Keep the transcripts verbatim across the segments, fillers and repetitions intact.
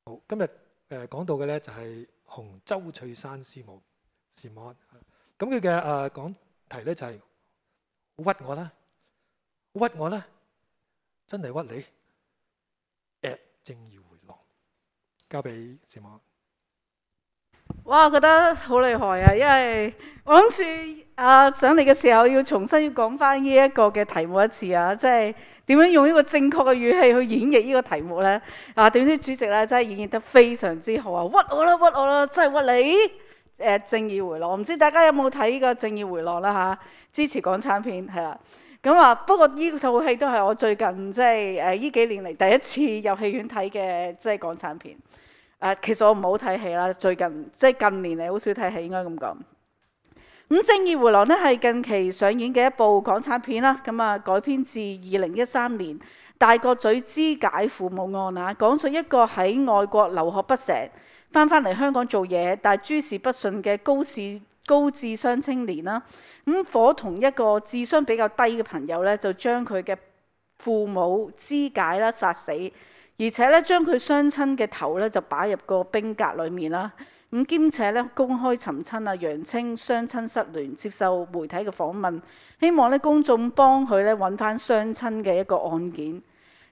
好，今日誒講到嘅咧就係洪周翠珊師母師母，咁佢嘅誒講題咧就係屈我啦，屈我啦，真係屈你，at 正義迴廊，交俾師母。哇，我覺得好厲害啊！因為我諗住啊上嚟嘅時候要重新要講翻呢一個嘅題目一次啊，即係點樣用呢個正確嘅語氣去演繹呢個題目咧？啊，點知主席咧真係演繹得非常之好啊！屈我啦，屈我啦，真係屈你！誒，正義迴廊，唔知大家有冇睇呢個正義迴廊啦嚇？支持港產片係啦。咁啊，不過呢套戲都係我最近即係誒呢幾年嚟第一次入戲院睇嘅，即係港產片。誒、呃，其實我唔好睇戲啦，最近即係近年嚟好少睇戲，應該咁講。咁《正義迴廊》呢係近期上演嘅一部港產片啦，咁啊改編自二零一三年《大角咀肢解父母案》啊，講述一個喺外國留學不成，翻返嚟香港做嘢，但係諸事不順嘅高視高智商青年啦，咁夥同一個智商比較低嘅朋友咧，就將佢嘅父母肢解啦，殺死。而且咧，將佢雙親嘅頭咧就擺入個冰格裏面啦。咁兼且咧公開尋親啊，揚稱雙親失聯，接受媒體嘅訪問，希望咧公眾幫佢咧揾翻雙親嘅一個案件。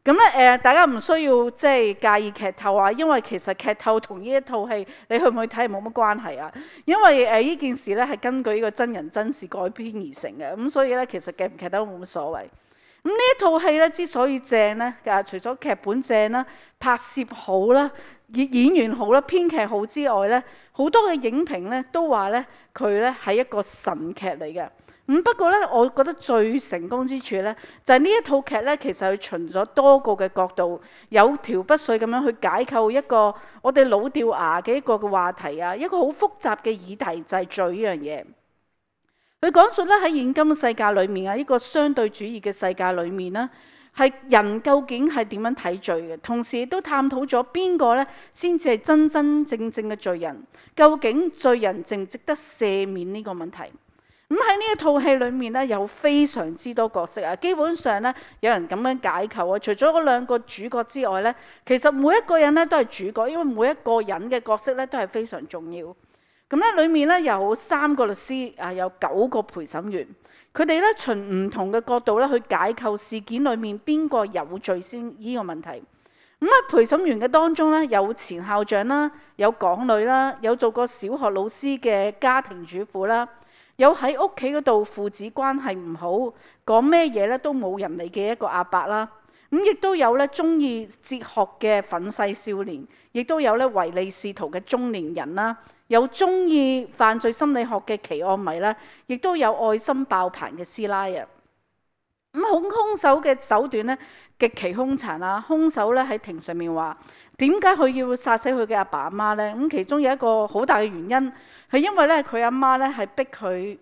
咁咧誒，大家唔需要即係介意劇透啊，因為其實劇透同呢一套戲你去唔去睇係冇乜關係啊。因為誒呢件事咧係根據呢個真人真事改編而成嘅，咁所以咧其實劇唔劇透都冇乜所謂。咁呢一套戲咧之所以正咧，啊除咗劇本正啦、拍攝好啦、演演員好啦、編劇好之外咧，好多嘅影評咧都話咧佢咧係一個神劇嚟嘅。咁不過咧，我覺得最成功之處咧，就係呢一套劇咧，其實佢循咗多個嘅角度，有條不紊咁樣去解構一個我哋老掉牙嘅一個嘅話題啊，一個好複雜嘅議題就係罪呢樣嘢。佢講述咧喺現今世界裏面啊，呢個相對主義嘅世界裏面咧，係人究竟係點樣睇罪嘅？同時亦都探討咗邊個咧先至係真真正正嘅罪人？究竟罪人值唔值得赦免呢個問題？咁喺呢一套戲裏面咧，有非常之多角色啊。基本上咧，有人咁樣解構啊，除咗嗰兩個主角之外咧，其實每一個人咧都係主角，因為每一個人嘅角色咧都係非常重要。咁咧，裡面咧有三個律師啊，有九個陪審員，佢哋咧循唔同嘅角度咧去解構事件裡面邊個有罪先呢個問題。咁啊，陪審員嘅當中咧有前校長啦，有港女啦，有做過小學老師嘅家庭主婦啦，有喺屋企嗰度父子關係唔好，講咩嘢咧都冇人理嘅一個阿伯啦。咁亦都有咧中意哲學嘅憤世少年，亦都有咧唯利是圖嘅中年人啦。有中意犯罪心理學嘅奇案迷啦，亦都有愛心爆棚嘅師奶啊！咁兇兇手嘅手段咧極其兇殘啊！兇手咧喺庭上面話：點解佢要殺死佢嘅阿爸阿媽咧？咁其中有一個好大嘅原因係因為咧佢阿媽咧係逼佢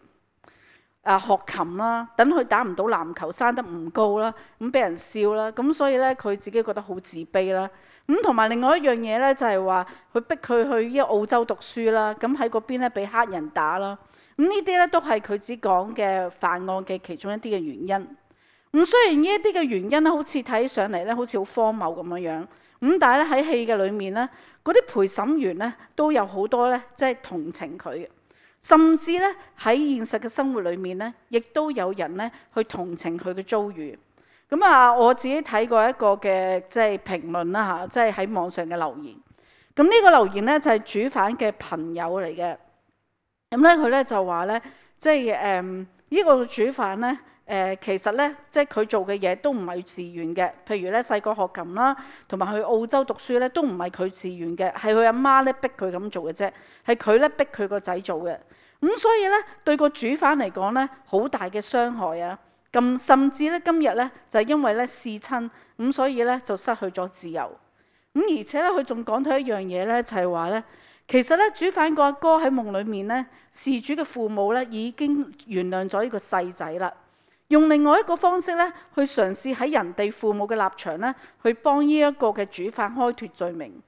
啊學琴啦，等佢打唔到籃球，生得唔高啦，咁俾人笑啦，咁所以咧佢自己覺得好自卑啦。咁同埋另外一樣嘢咧，就係話佢逼佢去呢個澳洲讀書啦，咁喺嗰邊咧俾黑人打啦。咁呢啲咧都係佢只講嘅犯案嘅其中一啲嘅原因。咁雖然呢一啲嘅原因咧，好似睇上嚟咧，好似好荒謬咁樣樣。咁但係咧喺戲嘅裏面咧，嗰啲陪審員咧都有好多咧，即係同情佢嘅，甚至咧喺現實嘅生活裏面咧，亦都有人咧去同情佢嘅遭遇。咁啊，我自己睇過一個嘅即係評論啦嚇，即係喺網上嘅留言。咁呢個留言咧就係主犯嘅朋友嚟嘅。咁咧佢咧就話咧，即係誒呢個主犯咧誒，其實咧即係佢做嘅嘢都唔係自願嘅。譬如咧細個學琴啦，同埋去澳洲讀書咧，都唔係佢自願嘅，係佢阿媽咧逼佢咁做嘅啫，係佢咧逼佢個仔做嘅。咁所以咧對個主犯嚟講咧，好大嘅傷害啊！咁甚至咧，今日咧就係因為咧弒親，咁所以咧就失去咗自由。咁而且咧，佢仲講到一樣嘢咧，就係話咧，其實咧主犯個阿哥喺夢裏面咧，事主嘅父母咧已經原諒咗呢個細仔啦，用另外一個方式咧去嘗試喺人哋父母嘅立場咧，去幫呢一個嘅主犯開脫罪名。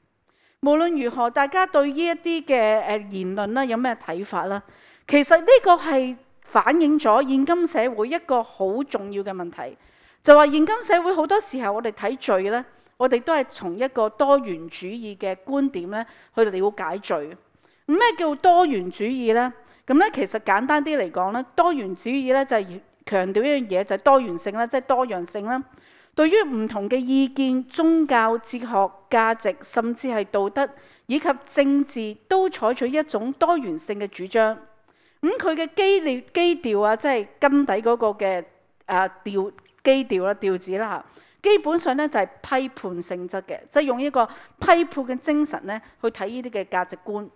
無論如何，大家對呢一啲嘅誒言論咧有咩睇法啦？其實呢個係反映咗現今社會一個好重要嘅問題，就話現今社會好多時候我哋睇罪咧，我哋都係從一個多元主義嘅觀點咧去了解罪。咩叫多元主義呢？咁咧其實簡單啲嚟講咧，多元主義咧就係強調一樣嘢，就係多元性啦，即係多樣性啦。對於唔同嘅意見、宗教、哲學、價值，甚至係道德以及政治，都採取一種多元性嘅主張。咁佢嘅基調基調啊，即係根底嗰個嘅誒調基調啦、調子啦嚇，基本上咧就係批判性質嘅，即係用一個批判嘅精神咧去睇呢啲嘅價值觀。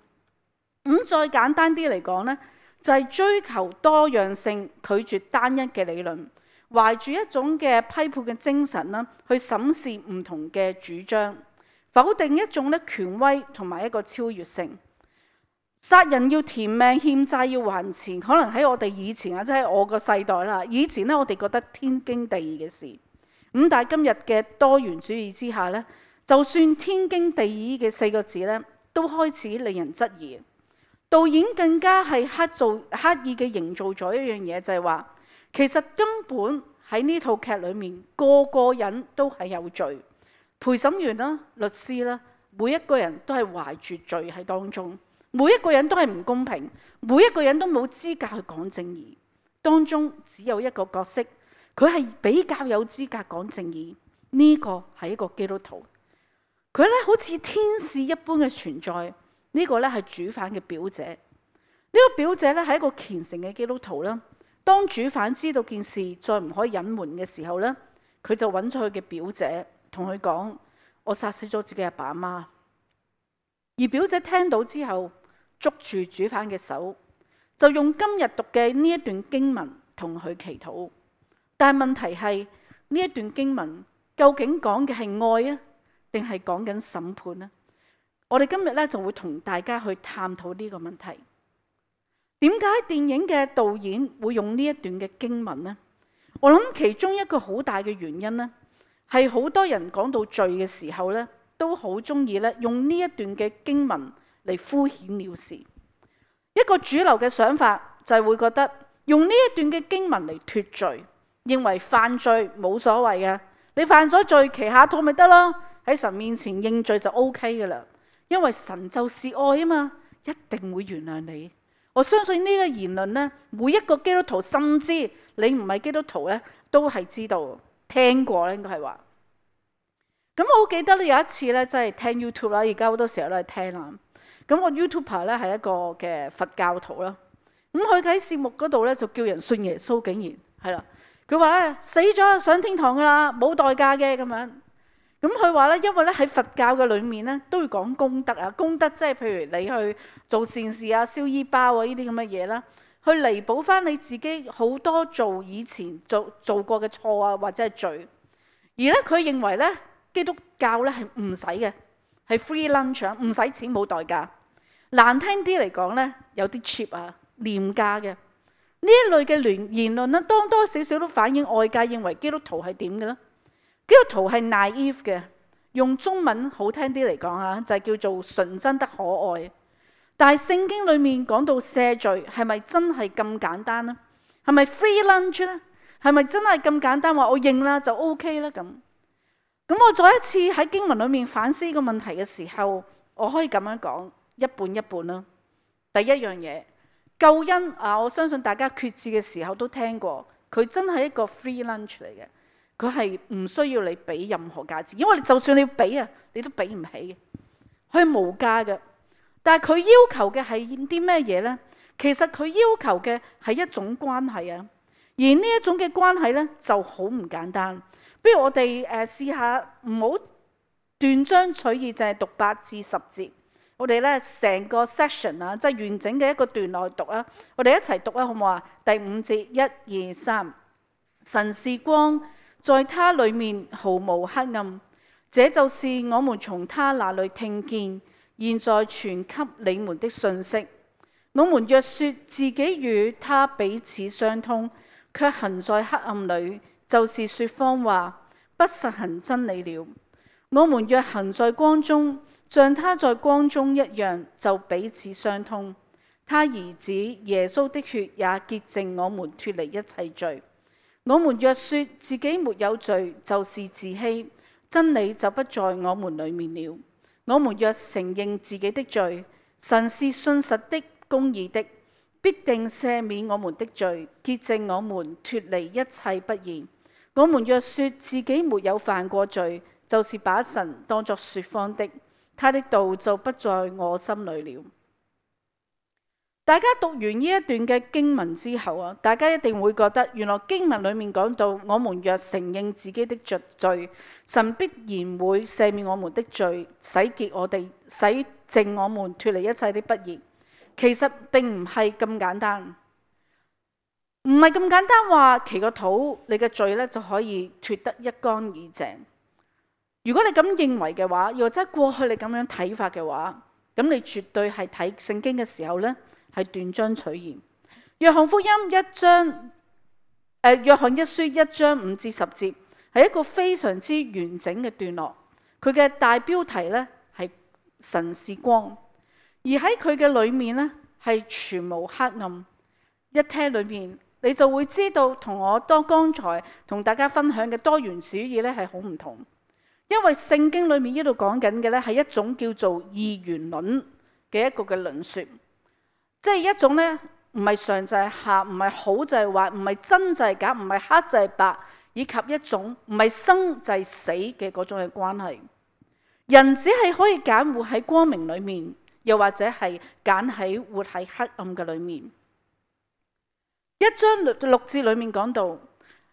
咁再簡單啲嚟講咧，就係追求多樣性，拒絕單一嘅理論，懷住一種嘅批判嘅精神啦，去審視唔同嘅主張，否定一種咧權威同埋一個超越性。殺人要填命，欠債要還錢，可能喺我哋以前啊，即係我個世代啦。以前咧，我哋覺得天經地義嘅事。咁但係今日嘅多元主義之下咧，就算天經地義嘅四個字咧，都開始令人質疑。導演更加係刻造刻意嘅營造咗一樣嘢，就係話其實根本喺呢套劇裏面，個個人都係有罪，陪審員啦、律師啦，每一個人都係懷住罪喺當中，每一個人都係唔公平，每一個人都冇資格去講正義。當中只有一個角色，佢係比較有資格講正義，呢個係一個基督徒，佢咧好似天使一般嘅存在。呢個咧係主犯嘅表姐，呢個表姐咧係一個虔誠嘅基督徒啦。當主犯知道件事再唔可以隱瞞嘅時候咧，佢就揾咗佢嘅表姐，同佢講：我殺死咗自己阿爸阿媽。而表姐聽到之後，捉住主犯嘅手，就用今日讀嘅呢一段經文同佢祈禱。但係問題係呢一段經文究竟講嘅係愛啊，定係講緊審判呢？我哋今日咧就會同大家去探討呢個問題。點解電影嘅導演會用呢一段嘅經文呢？我諗其中一個好大嘅原因呢，係好多人講到罪嘅時候咧，都好中意咧用呢一段嘅經文嚟敷衍了事。一個主流嘅想法就係會覺得用呢一段嘅經文嚟脫罪，認為犯罪冇所謂嘅，你犯咗罪，祈下禱咪得咯，喺神面前認罪就 O K 噶啦。因為神就是愛啊嘛，一定會原諒你。我相信呢個言論呢，每一個基督徒，甚至你唔係基督徒呢，都係知道聽過咧，應該係話。咁我好記得咧，有一次呢，即係聽 YouTube 啦，而家好多時候都係聽啦。咁我 YouTuber 咧係一個嘅佛教徒啦。咁佢喺節目嗰度呢，就叫人信耶穌，竟然係啦。佢話咧死咗啦，上天堂噶啦，冇代價嘅咁樣。咁佢話咧，因為咧喺佛教嘅裏面咧，都會講功德啊，功德即係譬如你去做善事啊、燒衣包啊呢啲咁嘅嘢啦，去彌補翻你自己好多做以前做做過嘅錯啊，或者係罪。而咧佢認為咧，基督教咧係唔使嘅，係 free lunch，唔使錢冇代價。難聽啲嚟講咧，有啲 cheap 啊，廉價嘅呢一類嘅言言論咧，多多少少都反映外界認為基督徒係點嘅咧。基督徒係 naive 嘅，用中文好聽啲嚟講啊，就係叫做純真得可愛。但係聖經裏面講到赦罪，係咪真係咁簡單呢？係咪 free lunch 咧？係咪真係咁簡單話我認啦就 OK 啦咁？咁我再一次喺經文裏面反思呢個問題嘅時候，我可以咁樣講，一半一半啦。第一樣嘢，救恩啊，我相信大家決志嘅時候都聽過，佢真係一個 free lunch 嚟嘅。佢係唔需要你俾任何價錢，因為你就算你要俾啊，你都俾唔起嘅，佢係無價嘅。但係佢要求嘅係啲咩嘢呢？其實佢要求嘅係一種關係啊，而呢一種嘅關係呢，就好唔簡單。不如我哋誒試下唔好斷章取義，就係讀八至十節。我哋咧成個 section 啊，即係完整嘅一個段落去讀啊。我哋一齊讀啊，好唔好啊？第五節，一二三，神是光，在他裏面毫無黑暗，這就是我們從他那裏聽見，現在傳給你們的信息。我們若說自己與他彼此相通，卻行在黑暗裏，就是說謊話，不實行真理了。我們若行在光中，像他在光中一樣，就彼此相通。他兒子耶穌的血也潔淨我們脫離一切罪。我們若說自己沒有罪，就是自欺，真理就不在我們裡面了。我們若承認自己的罪，神是信實的、公義的，必定赦免我們的罪，潔淨我們，脫離一切不義。我們若說自己沒有犯過罪，就是把神當作說謊的，他的道就不在我心裡了。大家讀完呢一段嘅經文之後啊，大家一定會覺得原來經文裡面講到，我們若承認自己的罪，神必然會赦免我們的罪，洗潔我哋，洗淨我們，脫離一切的不義。其實並唔係咁簡單，唔係咁簡單話祈個禱，你嘅罪咧就可以脫得一乾二淨。如果你咁認為嘅話，又或者過去你咁樣睇法嘅話，咁你絕對係睇聖經嘅時候咧，係斷章取義。約翰福音一章，誒、呃、約翰一書一章五至十節係一個非常之完整嘅段落。佢嘅大標題咧係神是光，而喺佢嘅裏面咧係全無黑暗。一聽裏面你就會知道，同我當剛才同大家分享嘅多元主義咧係好唔同。因為聖經裏面呢度講緊嘅咧係一種叫做二元論嘅一個嘅論說。即係一種咧，唔係上就係下，唔係好就係壞，唔係真就係假，唔係黑就係白，以及一種唔係生就係死嘅嗰種嘅關係。人只係可以揀活喺光明裏面，又或者係揀喺活喺黑暗嘅裏面。一章六六節裏面講到，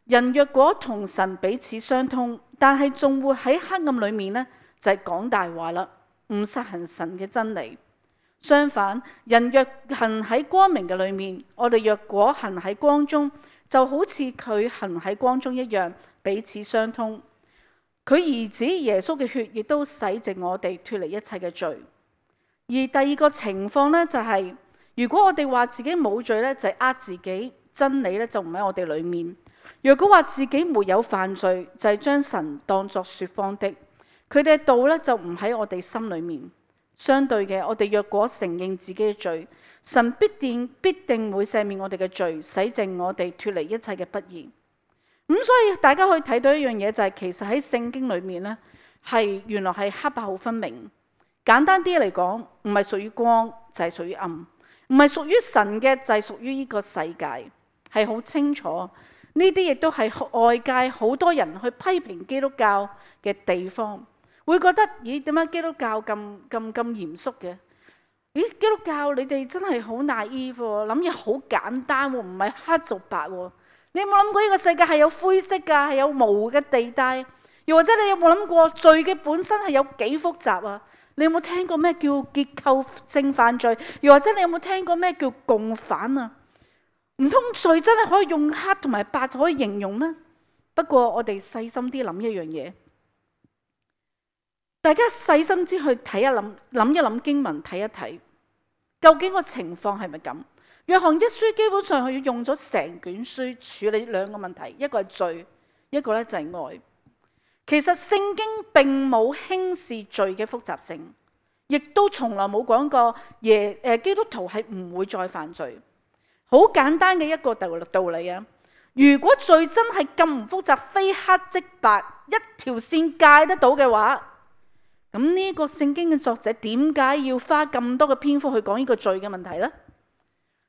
人若果同神彼此相通，但係仲活喺黑暗裏面咧，就係講大話啦，唔實行神嘅真理。相反，人若行喺光明嘅裏面，我哋若果行喺光中，就好似佢行喺光中一樣，彼此相通。佢兒子耶穌嘅血亦都洗淨我哋，脫離一切嘅罪。而第二個情況呢，就係、是、如果我哋話自己冇罪呢，就係呃自己，真理呢就唔喺我哋裏面。若果話自己沒有犯罪，就係、是、將神當作說謊的，佢哋嘅道呢就唔喺我哋心裏面。相對嘅，我哋若果承認自己嘅罪，神必定必定會赦免我哋嘅罪，洗淨我哋，脫離一切嘅不義。咁所以大家可以睇到一樣嘢，就係其實喺聖經裏面呢，係原來係黑白好分明。簡單啲嚟講，唔係屬於光就係屬於暗，唔係屬於神嘅就係屬於呢個世界，係好清楚。呢啲亦都係外界好多人去批評基督教嘅地方。會覺得咦，點解基督教咁咁咁嚴肅嘅？咦，基督教你哋真係好 naive 喎，諗嘢好簡單喎，唔係黑做白喎。你有冇諗過呢個世界係有灰色㗎，係有模糊嘅地帶？又或者你有冇諗過罪嘅本身係有幾複雜啊？你有冇聽過咩叫結構性犯罪？又或者你有冇聽過咩叫共犯啊？唔通罪真係可以用黑同埋白就可以形容咩？不過我哋細心啲諗一樣嘢。大家細心之去睇一諗，諗一諗經文，睇一睇，究竟個情況係咪咁？約翰一書基本上佢用咗成卷書處理兩個問題，一個係罪，一個咧就係愛。其實聖經並冇輕視罪嘅複雜性，亦都從來冇講過耶誒基督徒係唔會再犯罪。好簡單嘅一個道道理啊！如果罪真係咁唔複雜，非黑即白，一條線界得到嘅話，咁呢個聖經嘅作者點解要花咁多嘅篇幅去講呢個罪嘅問題呢？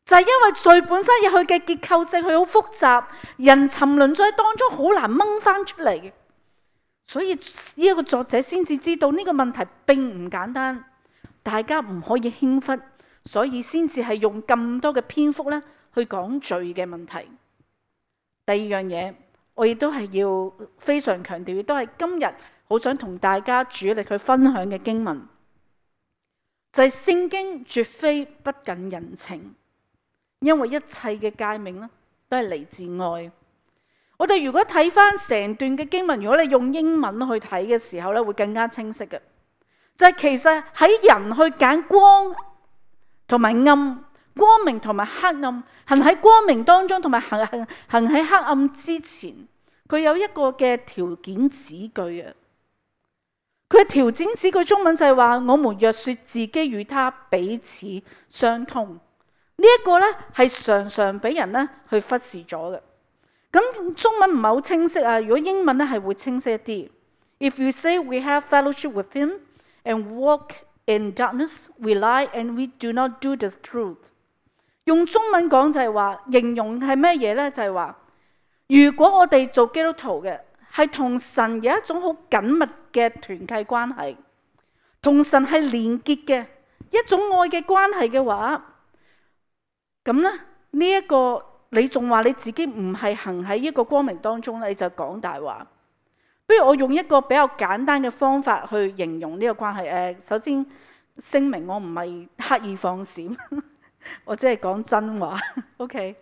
就係因為罪本身有佢嘅結構性，佢好複雜，人沉淪在當中好難掹翻出嚟嘅，所以呢一個作者先至知道呢個問題並唔簡單，大家唔可以輕忽，所以先至係用咁多嘅篇幅咧去講罪嘅問題。第二樣嘢，我亦都係要非常強調，亦都係今日好想同大家主力去分享嘅經文，就係聖經絕非不近人情，因為一切嘅誡命咧都係嚟自愛。我哋如果睇翻成段嘅經文，如果你用英文去睇嘅時候咧，會更加清晰嘅。就係其實喺人去揀光同埋暗，光明同埋黑暗，行喺光明當中同埋行行行喺黑暗之前，佢有一個嘅條件子句啊。佢嘅條件子句中文就係話：我們若說自己與他彼此相通，呢、這、一個咧係常常俾人咧去忽視咗嘅。咁中文唔係好清晰啊，如果英文咧係會清晰一啲。If we say we have fellowship with him and walk in darkness, we lie and we do not do the truth。用中文講就係話，形容係咩嘢呢？就係話，如果我哋做基督徒嘅係同神有一種好緊密嘅團契關係，同神係連結嘅一種愛嘅關係嘅話，咁咧呢一個你仲話你自己唔係行喺一個光明當中咧，你就講大話。不如我用一個比較簡單嘅方法去形容呢個關係。誒、呃，首先聲明我唔係刻意放閃，我只係講真話。OK，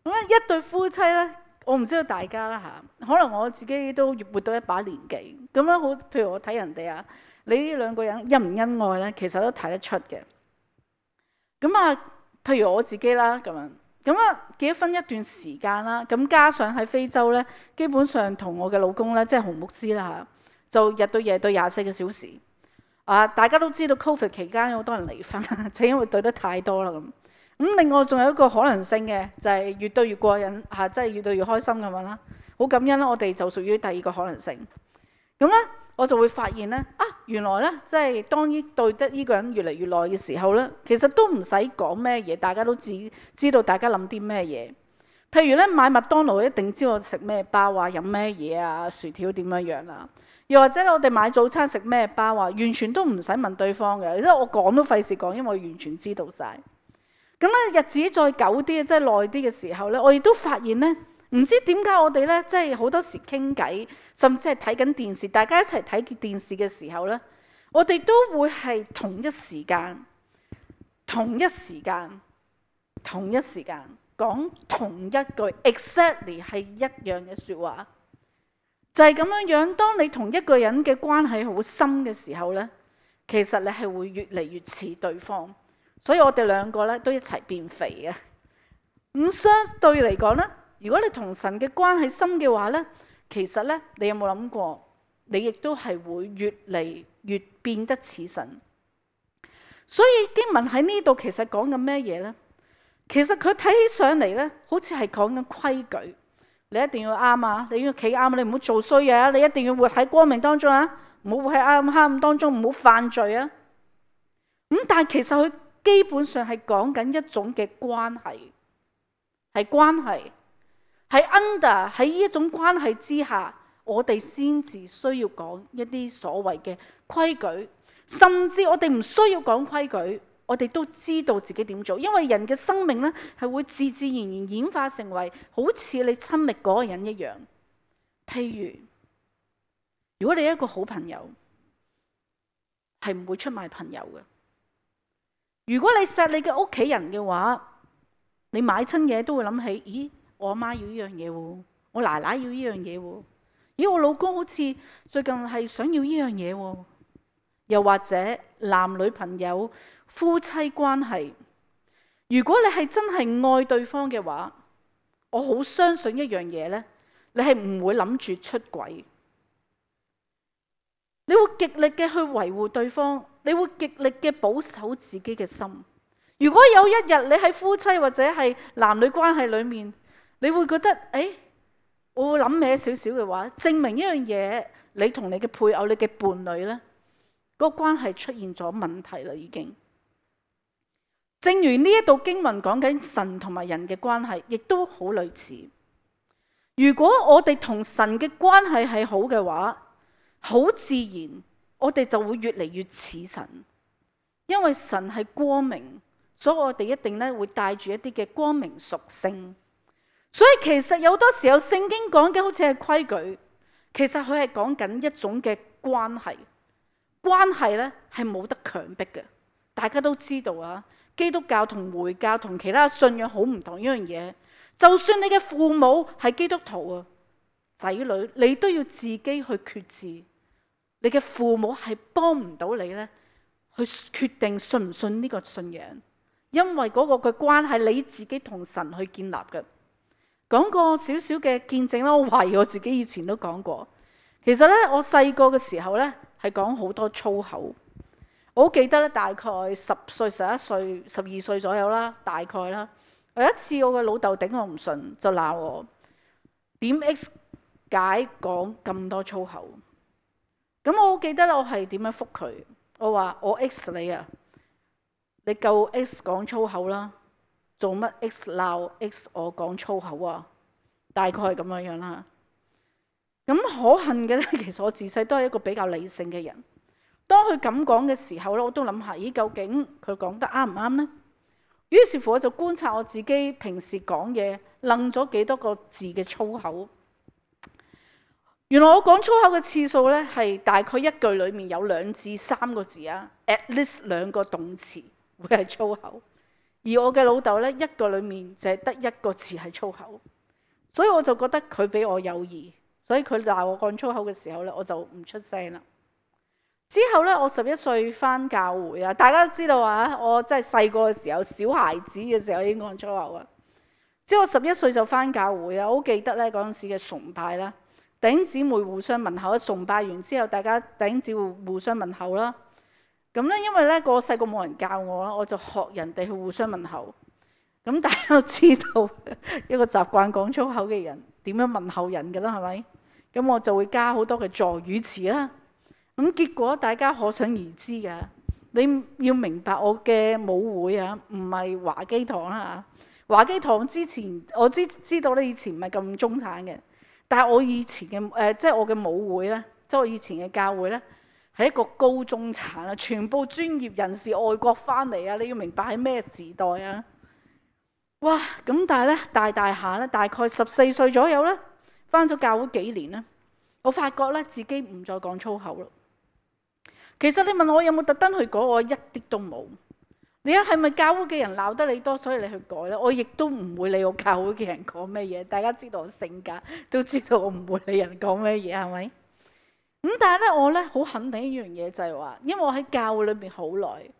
咁咧一對夫妻咧，我唔知道大家啦嚇，可能我自己都活到一把年紀，咁樣好，譬如我睇人哋啊，你呢兩個人恩唔恩愛咧，其實都睇得出嘅。咁啊，譬如我自己啦咁樣。咁啊，結咗婚一段時間啦，咁加上喺非洲咧，基本上同我嘅老公咧，即係洪牧師啦嚇，就日對夜對廿四個小時。啊，大家都知道 Covid 期間有好多人離婚，就因為對得太多啦咁。咁另外仲有一個可能性嘅，就係越對越過癮嚇，即係越對越開心咁樣啦。好感恩啦，我哋就屬於第二個可能性。咁咧，我就會發現咧，啊，原來咧，即係當呢對得呢個人越嚟越耐嘅時候咧，其實都唔使講咩嘢，大家都知知道大家諗啲咩嘢。譬如咧，買麥當勞一定知我食咩包啊，飲咩嘢啊，薯條點樣樣啦。又或者我哋買早餐食咩包啊，完全都唔使問對方嘅，因為我講都費事講，因為我完全知道晒。咁咧，日子再久啲，即係耐啲嘅時候咧，我亦都發現咧。唔知點解我哋咧，即係好多時傾偈，甚至係睇緊電視，大家一齊睇電視嘅時候咧，我哋都會係同一時間、同一時間、同一時間講同一句 exactly 係一樣嘅説話，就係咁樣樣。當你同一個人嘅關係好深嘅時候咧，其實你係會越嚟越似對方，所以我哋兩個咧都一齊變肥嘅。咁相對嚟講咧。如果你同神嘅關係深嘅話咧，其實咧，你有冇諗過，你亦都係會越嚟越變得似神。所以經文喺呢度其實講緊咩嘢咧？其實佢睇起上嚟咧，好似係講緊規矩，你一定要啱啊，你要企啱，你唔好做衰嘢啊，你一定要活喺光明當中啊，唔好活喺啱黑暗當中，唔好犯罪啊。咁但係其實佢基本上係講緊一種嘅關係，係關係。喺 under 喺呢一種關係之下，我哋先至需要講一啲所謂嘅規矩，甚至我哋唔需要講規矩，我哋都知道自己點做，因為人嘅生命咧係會自自然然演化成為好似你親密嗰個人一樣。譬如，如果你一個好朋友，係唔會出賣朋友嘅。如果你錫你嘅屋企人嘅話，你買親嘢都會諗起，咦？我阿媽要呢樣嘢喎，我奶奶要呢樣嘢喎，咦，我老公好似最近係想要呢樣嘢喎。又或者男女朋友、夫妻關係，如果你係真係愛對方嘅話，我好相信一樣嘢咧，你係唔會諗住出軌，你會極力嘅去維護對方，你會極力嘅保守自己嘅心。如果有一日你喺夫妻或者係男女關係裏面，你會覺得，誒、哎，我會諗歪少少嘅話，證明一樣嘢，你同你嘅配偶、你嘅伴侶咧，嗰個關係出現咗問題啦，已經。正如呢一度經文講緊神同埋人嘅關係，亦都好類似。如果我哋同神嘅關係係好嘅話，好自然，我哋就會越嚟越似神，因為神係光明，所以我哋一定咧會帶住一啲嘅光明屬性。所以其實有好多時候聖經講嘅好似係規矩，其實佢係講緊一種嘅關係。關係咧係冇得強迫嘅，大家都知道啊。基督教同回教同其他信仰好唔同一樣嘢。就算你嘅父母係基督徒啊，仔女你都要自己去決志。你嘅父母係幫唔到你咧，去決定信唔信呢個信仰，因為嗰個嘅關係你自己同神去建立嘅。講過少少嘅見證啦，我懷疑我自己以前都講過。其實咧，我細個嘅時候咧係講好多粗口。我好記得咧，大概十歲、十一歲、十二歲左右啦，大概啦。有一次我嘅老豆頂我唔順，就鬧我點 X 解講咁多粗口。咁我好記得咧，我係點樣覆佢？我話我 X 你啊，你夠 X 講粗口啦，做乜 X 鬧 X 我講粗口啊？大概係咁樣樣啦。咁可恨嘅咧，其實我自細都係一個比較理性嘅人。當佢咁講嘅時候咧，我都諗下，咦，究竟佢講得啱唔啱呢？於是乎我就觀察我自己平時講嘢，愣咗幾多個字嘅粗口。原來我講粗口嘅次數咧，係大概一句裡面有兩至三個字啊 ，at least 兩個動詞會係粗口。而我嘅老豆咧，一個裡面就係得一個字係粗口，所以我就覺得佢比我有義，所以佢鬧我講粗口嘅時候咧，我就唔出聲啦。之後咧，我十一歲返教會啊，大家都知道啊，我真係細個嘅時候，小孩子嘅時候已經講粗口啊。之後十一歲就返教會啊，我好記得咧嗰陣時嘅崇拜啦。弟兄姊妹互相問候，崇拜完之後，大家弟兄姊妹互相問候啦。咁咧，因為咧個細個冇人教我啦，我就學人哋去互相問候。咁大家都知道一個習慣講粗口嘅人點樣問候人㗎啦，係咪？咁我就會加好多嘅助語詞啦。咁結果大家可想而知㗎。你要明白我嘅母會啊，唔係華基堂啦嚇。華基堂之前我知知道咧，以前唔係咁中產嘅。但係我以前嘅誒、呃，即係我嘅母會咧，即係我以前嘅教會咧，係一個高中產啊，全部專業人士外國翻嚟啊！你要明白係咩時代啊？哇！咁但係咧，大大下咧，大概十四歲左右咧，翻咗教會幾年咧，我發覺咧自己唔再講粗口咯。其實你問我有冇特登去改，我一啲都冇。你啊，係咪教會嘅人鬧得你多，所以你去改咧？我亦都唔會理我教會嘅人講咩嘢。大家知道我性格，都知道我唔會理人講咩嘢，係咪？咁但係咧，我咧好肯定一樣嘢就係話，因為我喺教會裏邊好耐，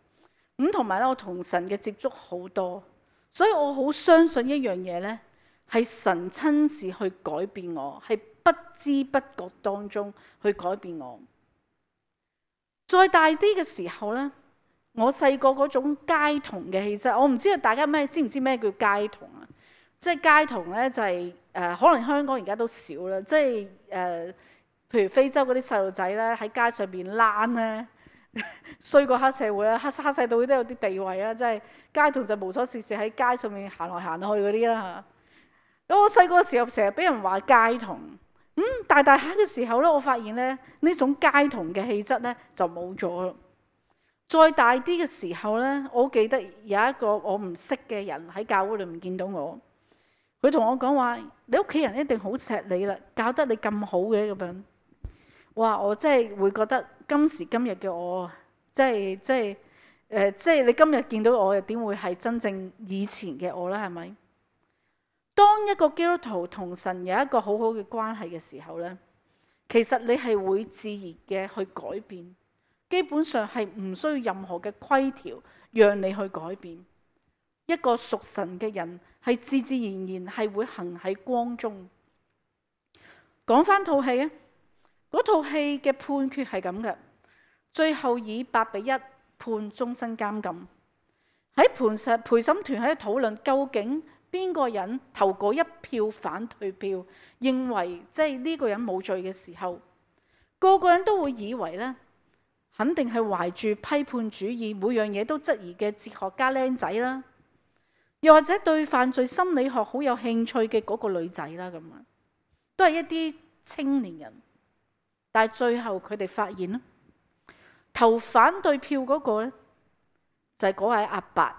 咁同埋咧我同神嘅接觸好多，所以我好相信一樣嘢咧，係神親自去改變我，係不知不覺當中去改變我。再大啲嘅時候咧。我細個嗰種街童嘅氣質，我唔知道大家咩知唔知咩叫街童啊？即係街童咧，就係、是、誒、呃，可能香港而家都少啦。即係誒、呃，譬如非洲嗰啲細路仔咧，喺街上邊躝咧，衰過黑社會啊，黑黑社會都有啲地位啊。即係街童就無所事事喺街上面行來行去嗰啲啦嚇。咁我細個嘅時候成日俾人話街童，咁、嗯、大大下嘅時候咧，我發現咧呢種街童嘅氣質咧就冇咗啦。再大啲嘅時候咧，我記得有一個我唔識嘅人喺教會裏面見到我，佢同我講話：你屋企人一定好錫你啦，教得你咁好嘅咁樣。哇！我真係會覺得今時今日嘅我，即係即係誒，即係你今日見到我，又點會係真正以前嘅我咧？係咪？當一個基督徒同神有一個好好嘅關係嘅時候咧，其實你係會自然嘅去改變。基本上係唔需要任何嘅規條讓你去改變。一個屬神嘅人係自自然然係會行喺光中。講翻套戲啊，嗰套戲嘅判決係咁嘅，最後以八比一判終身監禁。喺陪審陪審團喺度討論究竟邊個人投過一票反對票，認為即係呢個人冇罪嘅時候，個個人都會以為呢。肯定係懷住批判主義，每樣嘢都質疑嘅哲學家僆仔啦，又或者對犯罪心理學好有興趣嘅嗰個女仔啦，咁啊，都係一啲青年人。但係最後佢哋發現咧，投反對票嗰個咧就係嗰位阿伯，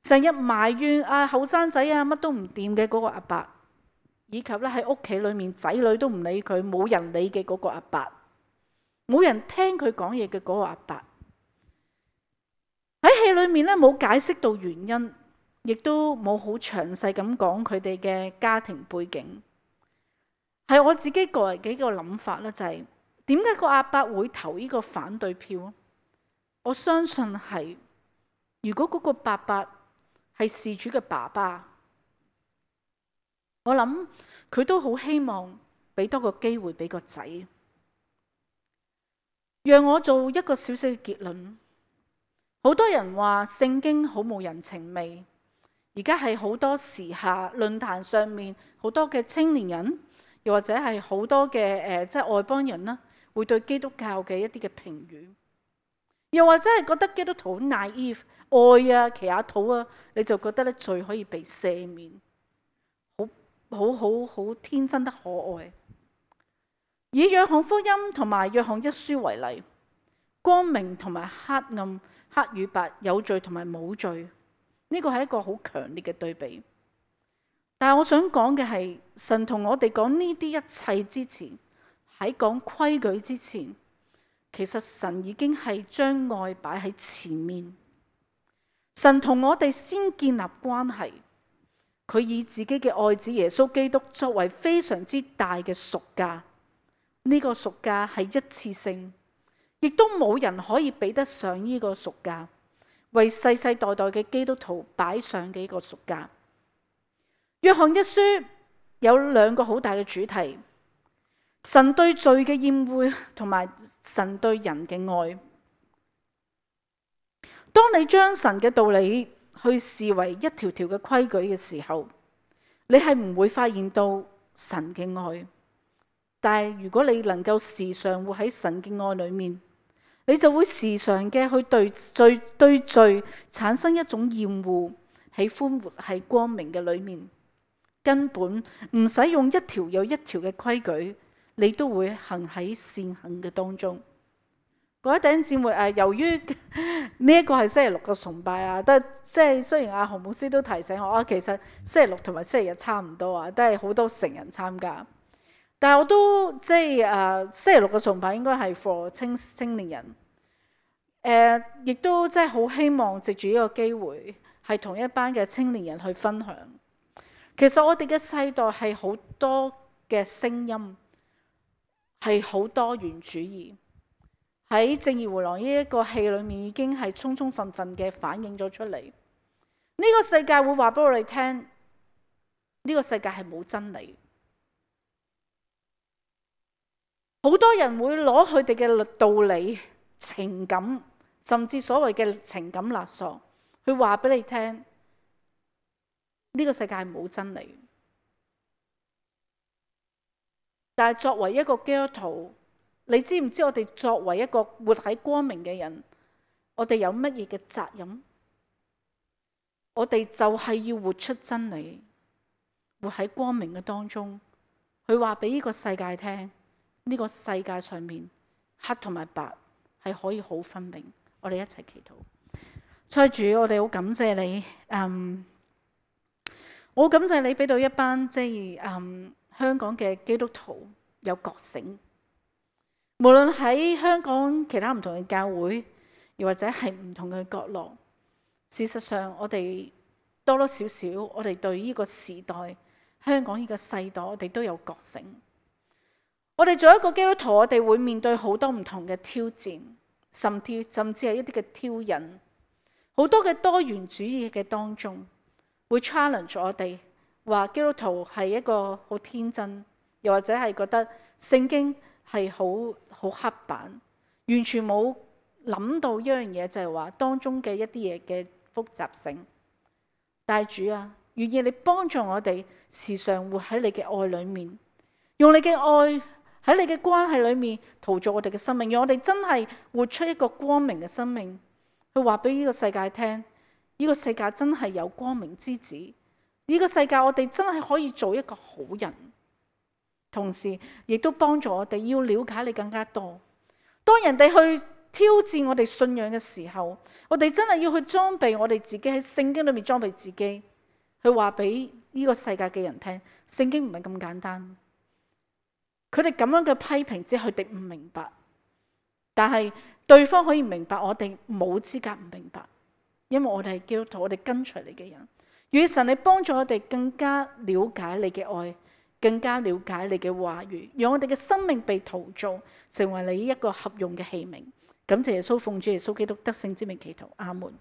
成日埋怨啊後生仔啊乜都唔掂嘅嗰個阿伯，以及咧喺屋企裏面仔女都唔理佢，冇人理嘅嗰個阿伯。冇人聽佢講嘢嘅嗰個阿伯，喺戲裏面咧冇解釋到原因，亦都冇好詳細咁講佢哋嘅家庭背景。係我自己個人幾個諗法咧，就係點解個阿伯會投呢個反對票？我相信係如果嗰個伯伯係事主嘅爸爸，我諗佢都好希望俾多個機會俾個仔。讓我做一個小小嘅結論。好多人話聖經好冇人情味，而家係好多時下論壇上面好多嘅青年人，又或者係好多嘅誒、呃，即係外邦人啦，會對基督教嘅一啲嘅評語，又或者係覺得基督徒好 naive 愛啊祈下禱啊，你就覺得咧罪可以被赦免，好好好好天真得可愛。以約翰福音同埋約翰一書為例，光明同埋黑暗，黑與白，有罪同埋冇罪，呢個係一個好強烈嘅對比。但係我想講嘅係，神同我哋講呢啲一切之前，喺講規矩之前，其實神已經係將愛擺喺前面。神同我哋先建立關係，佢以自己嘅愛子耶穌基督作為非常之大嘅贖價。呢個贖價係一次性，亦都冇人可以比得上呢個贖價，為世世代代嘅基督徒擺上嘅一個贖價。約翰一書有兩個好大嘅主題：神對罪嘅厭惡，同埋神對人嘅愛。當你將神嘅道理去視為一條條嘅規矩嘅時候，你係唔會發現到神嘅愛。但係如果你能夠時常活喺神嘅愛裏面，你就會時常嘅去對罪對罪產生一種厭惡，喜歡活喺光明嘅裏面。根本唔使用一條又一條嘅規矩，你都會行喺善行嘅當中。各位弟兄姊妹，誒，由於呢一個係星期六嘅崇拜啊，都即係雖然阿洪牧師都提醒我啊，其實星期六同埋星期日差唔多啊，都係好多成人參加。但係我都即係誒星期六嘅崇拜應該係 for 青青年人，誒、呃、亦都即係好希望藉住呢個機會係同一班嘅青年人去分享。其實我哋嘅世代係好多嘅聲音，係好多元主義，喺《正義回廊》呢一個戲裏面已經係充充分分嘅反映咗出嚟。呢、這個世界會話俾我哋聽，呢、這個世界係冇真理。好多人會攞佢哋嘅道理、情感，甚至所謂嘅情感勒索，去話俾你聽，呢個世界係冇真理。但係作為一個基督徒，你知唔知我哋作為一個活喺光明嘅人，我哋有乜嘢嘅責任？我哋就係要活出真理，活喺光明嘅當中，去話俾呢個世界聽。呢個世界上面黑同埋白係可以好分明。我哋一齊祈禱。所以主，我哋好感謝你，嗯，我好感謝你俾到一班即係嗯香港嘅基督徒有覺醒。無論喺香港其他唔同嘅教會，又或者係唔同嘅角落，事實上我哋多多少少，我哋對呢個時代、香港呢個世代，我哋都有覺醒。我哋做一個基督徒，我哋會面對好多唔同嘅挑戰，甚至甚至係一啲嘅挑釁，好多嘅多元主義嘅當中，會 challenge 我哋，話基督徒係一個好天真，又或者係覺得聖經係好好刻板，完全冇諗到一樣嘢，就係話當中嘅一啲嘢嘅複雜性。但係主啊，願意你幫助我哋時常活喺你嘅愛裏面，用你嘅愛。喺你嘅關係裏面陶造我哋嘅生命，讓我哋真係活出一個光明嘅生命，去話俾呢個世界聽，呢個世界真係有光明之子，呢個世界我哋真係可以做一個好人，同時亦都幫助我哋要了解你更加多。當人哋去挑戰我哋信仰嘅時候，我哋真係要去裝備我哋自己，喺聖經裏面裝備自己，去話俾呢個世界嘅人聽，聖經唔係咁簡單。佢哋咁樣嘅批評，只係佢哋唔明白，但係對方可以明白，我哋冇資格唔明白，因為我哋係基督徒，我哋跟隨你嘅人。願神你幫助我哋更加了解你嘅愛，更加了解你嘅話語，讓我哋嘅生命被陶造，成為你一個合用嘅器皿。感謝耶穌，奉主耶穌基督得勝之名祈禱，阿門。